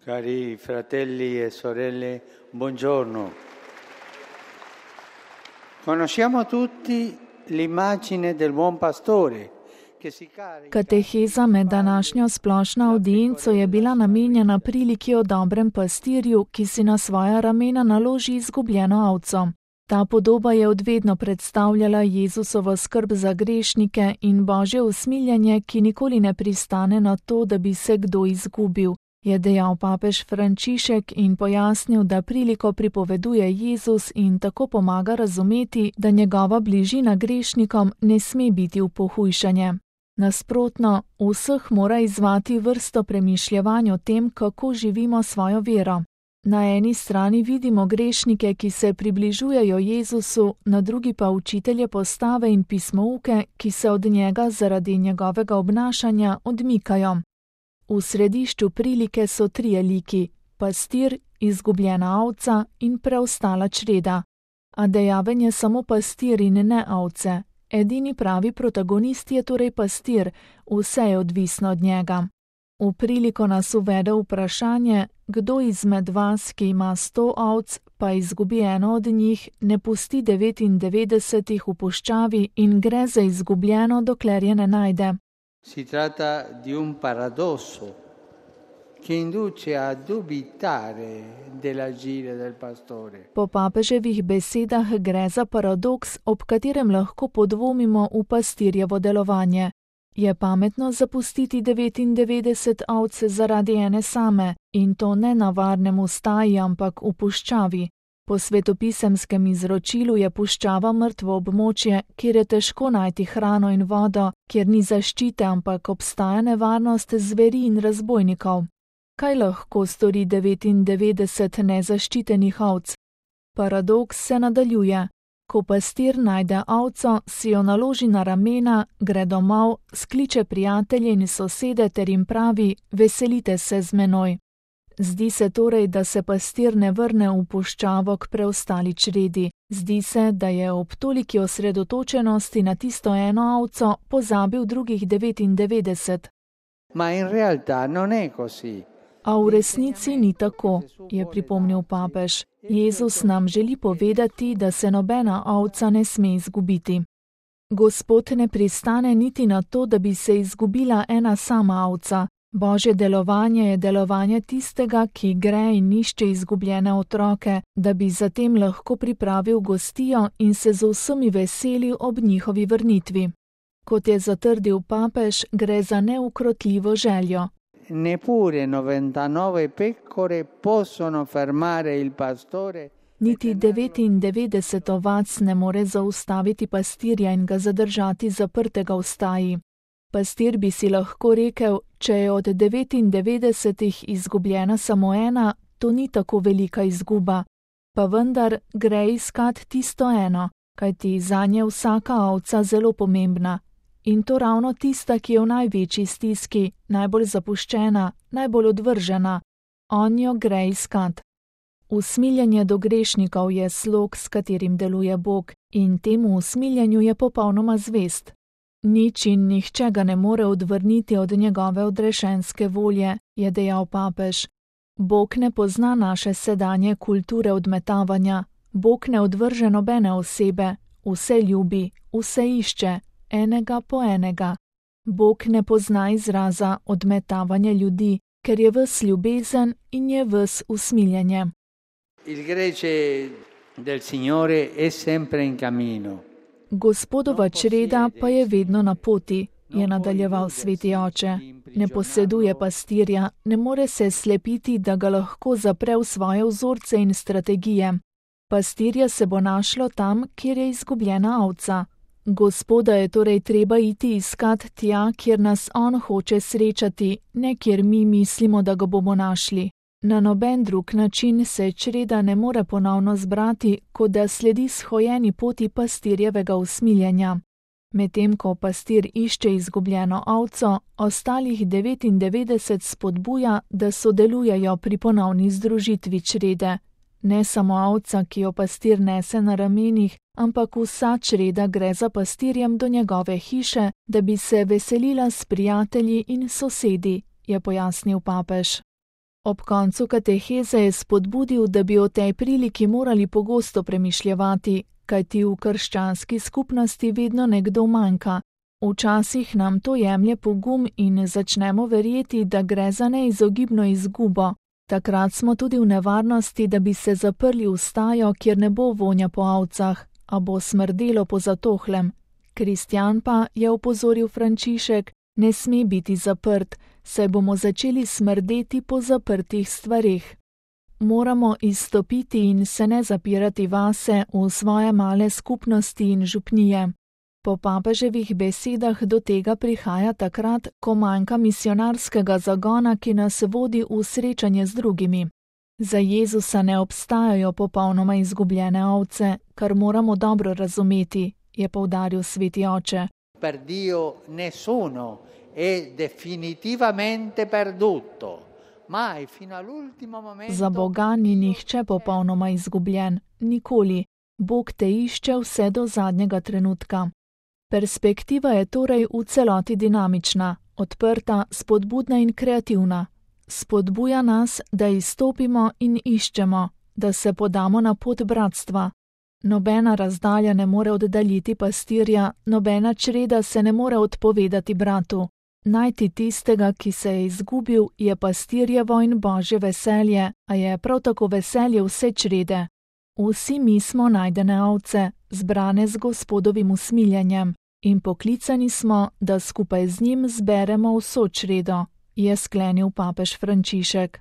Cari fratelli e sorelle, buongiorno. Conosciamo tutti l'immagine del buon pastore che si carica. Kateheza med današnjo splošno avdienco je bila namenjena priliki o dobrem pastirju, ki si na svoja ramena naloži izgubljeno ovco. Ta podoba je odvedno predstavljala Jezusovo skrb za grešnike in Božje usmiljenje, ki nikoli ne pristane na to, da bi se kdo izgubil, je dejal papež Frančišek in pojasnil, da priliko pripoveduje Jezus in tako pomaga razumeti, da njegova bližina grešnikom ne sme biti v pohujšanje. Nasprotno, vseh mora izzvati vrsto premišljevanj o tem, kako živimo svojo vero. Na eni strani vidimo grešnike, ki se približujejo Jezusu, na drugi pa učitelje postave in pismouke, ki se od njega zaradi njegovega obnašanja odmikajo. V središču prilike so trije liki: pastir, izgubljena ovca in preostala čreda. A dejaven je samo pastir in ne ovce. Edini pravi protagonist je torej pastir, vse je odvisno od njega. V priliko nas uvede vprašanje, kdo izmed vas, ki ima 100 ovc, pa izgubi eno od njih, ne pusti 99 v puščavi in gre za izgubljeno, dokler je ne najde. Si tratta di un paradosso che induce a dubitare dell'agire del pastore. Po papeževih besedah gre za paradoks, ob katerem lahko podvomimo v pastirjevo delovanje. Je pametno zapustiti 99 ovc zaradi ene same, in to ne na varnem staji, ampak v puščavi. Po svetopisemskem izročilu je puščava mrtvo območje, kjer je težko najti hrano in vodo, kjer ni zaščite, ampak obstaja nevarnost zveri in razbojnikov. Kaj lahko stori 99 nezaščitenih ovc? Paradoks se nadaljuje. Ko pastir najde ovco, si jo naloži na ramena, gre domov, skliče prijatelje in sosede ter jim pravi: veselite se z menoj. Zdi se torej, da se pastir ne vrne v puščavo k preostali čredi. Zdi se, da je ob toliki osredotočenosti na tisto eno ovco pozabil drugih 99. Ma in realtà non è così. A v resnici ni tako, je pripomnil papež. Jezus nam želi povedati, da se nobena ovca ne sme izgubiti. Gospod ne pristane niti na to, da bi se izgubila ena sama ovca. Božje delovanje je delovanje tistega, ki gre in išče izgubljene otroke, da bi zatem lahko pripravil gostijo in se z vsemi veselil ob njihovi vrnitvi. Kot je zatrdil papež, gre za neukrotljivo željo. Neppure 99 pecore possono fermare il pastore. Niti 99 ovac ne more zaustaviti pastirja in ga zadržati zaprtega v staji. Pastir bi si lahko rekel, če je od 99 izgubljena samo ena, to ni tako velika izguba. Pa vendar gre iskat tisto eno, kajti zanje vsaka ovca zelo pomembna. In to ravno tista, ki je v največji stiski, najbolj zapuščena, najbolj odvržena. On jo gre iskat. Usmiljenje do grešnikov je slog, s katerim deluje Bog, in temu usmiljenju je popolnoma zvest. Nič in nihče ga ne more odvrniti od njegove odrešenske volje, je dejal papež. Bog ne pozna naše sedanje kulture odmetavanja. Bog ne odvrže nobene osebe, vse ljubi, vse išče, enega po enega. Bog ne pozna izraza odmetavanja ljudi, ker je ves ljubezen in je ves usmiljenje. Il gregge del Signore è sempre in cammino. Gospodova čreda pa je vedno na poti, je nadaljeval sveti oče. Ne poseduje pastirja, ne more se slepiti, da ga lahko zapre v svoje vzorce in strategije. Pastirja se bo našlo tam, kjer je izgubljena ovca. Gospoda je torej treba iti iskat tja, kjer nas on hoče srečati, ne kjer mi mislimo, da ga bomo našli. Na noben drug način se čreda ne more ponovno zbrati, kot da sledi shojeni poti pastirjevega usmiljenja. Medtem ko pastir išče izgubljeno ovco, ostalih 99 spodbuja, da sodelujejo pri ponovni združitvi črede. Ne samo ovca, ki jo pastir nese na ramenih, ampak vsa čreda gre za pastirjem do njegove hiše, da bi se veselila s prijatelji in sosedi, je pojasnil papež. Ob koncu kateheze je spodbudil, da bi o tej priliki morali pogosto premišljevati, kajti v krščanski skupnosti vedno nekdo manjka. Včasih nam to jemlje pogum in začnemo verjeti, da gre za neizogibno izgubo. Takrat smo tudi v nevarnosti, da bi se zaprli v stajo, kjer ne bo vonja po ovcah, a bo smrdelo po zatohlem. Kristjan pa, je opozoril Frančišek, ne sme biti zaprt, saj bomo začeli smrdeti po zaprtih stvareh. Moramo izstopiti in se ne zapirati vase v svoje male skupnosti in župnije. Po papeževih besedah do tega prihaja takrat, ko manjka misionarskega zagona, ki nas vodi v srečanje z drugimi. Za Jezusa ne obstajajo popolnoma izgubljene ovce, kar moramo dobro razumeti, je poudaril sveti oče. Per Dio nessuno è definitivamente perduto. Mai fino all'ultimo momento. Za Boga ni nihče popolnoma izgubljen, nikoli. Bog te išče vse do zadnjega trenutka. Perspektiva je torej v celoti dinamična, odprta, spodbudna in kreativna. Spodbuja nas, da izstopimo in iščemo, da se podamo na pot bratstva. Nobena razdalja ne more oddaljiti pastirja, nobena čreda se ne more odpovedati bratu. Najti tistega, ki se je izgubil, je pastirjevo in Božje veselje, a je prav tako veselje vse črede. Vsi mi smo najdene ovce, zbrane z Gospodovim usmiljenjem, in poklicani smo, da skupaj z njim zberemo vso čredo, je sklenil papež Frančišek.